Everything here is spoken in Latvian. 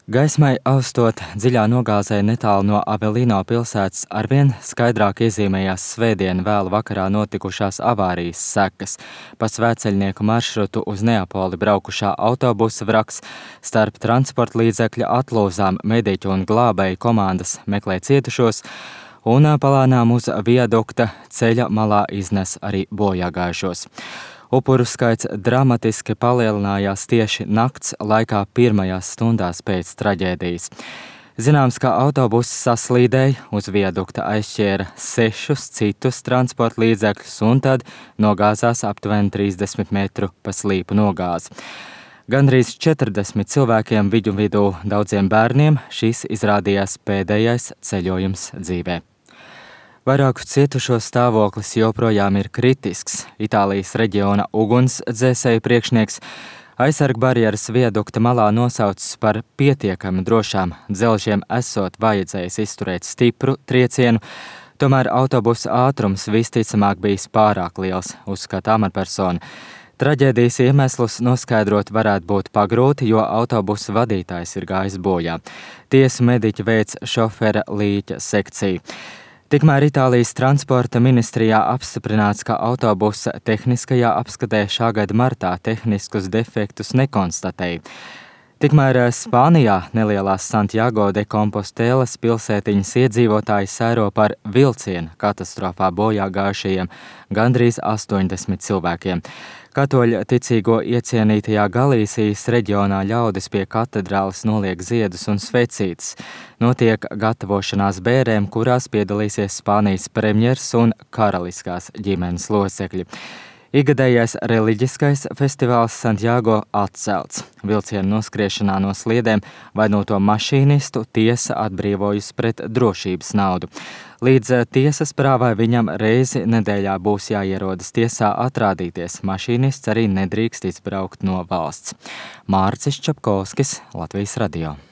Gaismai austot dziļā nogāzē netālu no Avelino pilsētas arvien skaidrāk iezīmējās svētdien vēlu vakarā notikušās avārijas sekas. Pa Svētceļnieku maršrutu uz Neapoli braukušā autobusa vraks starp transporta līdzekļa atlūzām mediķu un glābēju komandas meklē cietušos, un palānām uz viadukta ceļa malā iznes arī bojāgājušos. Upuru skaits dramatiski palielinājās tieši nakts laikā pirmajās stundās pēc traģēdijas. Zināms, ka autobuss saslīdēja, uz viadukta aizšķēra 6 citus transporta līdzekļus un tad nogāzās aptuveni 30 metru pa slīpu nogāzi. Gandrīz 40 cilvēkiem vidū daudziem bērniem šis izrādījās pēdējais ceļojums dzīvē. Vairāku cietušo stāvoklis joprojām ir kritisks. Itālijas reģiona ugunsdzēsēju priekšnieks aizsargu barjeras viadukta malā nosaucis par pietiekami drošām dzelžiem esot vajadzējis izturēt stipru triecienu, tomēr autobusa ātrums visticamāk bijis pārāk liels, uzskata amatpersona. Traģēdijas iemeslus noskaidrot varētu būt pagrūti, jo autobusa vadītājs ir gājis bojā. Tiesu mediķi veic šofera līķa sekciju. Tikmēr Itālijas transporta ministrijā apstiprināts, ka autobusa tehniskajā apskatē šā gada martā tehniskus defektus nekonstatēja. Tikmēr Spānijā nelielās Santiago de Compostelas pilsētiņas iedzīvotāji sēro par vilciena katastrofā bojā gājušajiem gandrīz 80 cilvēkiem. Katoļu ticīgo iecienītajā Galīsijas reģionā ļaudis pie katedrāles noliek ziedus un svecītes. Notiek gatavošanās bērēm, kurās piedalīsies Spānijas premjers un karaliskās ģimenes locekļi. Ikgadējais reliģiskais festivāls Santiago atcelts. Vilcienu noskriešanā no sliedēm vainoto mašīnistu tiesa atbrīvojusi pret drošības naudu. Līdz tiesas prāvai viņam reizi nedēļā būs jāierodas tiesā atrādīties. Mašīnists arī nedrīkst izbraukt no valsts. Mārcis Čapkovskis, Latvijas radio.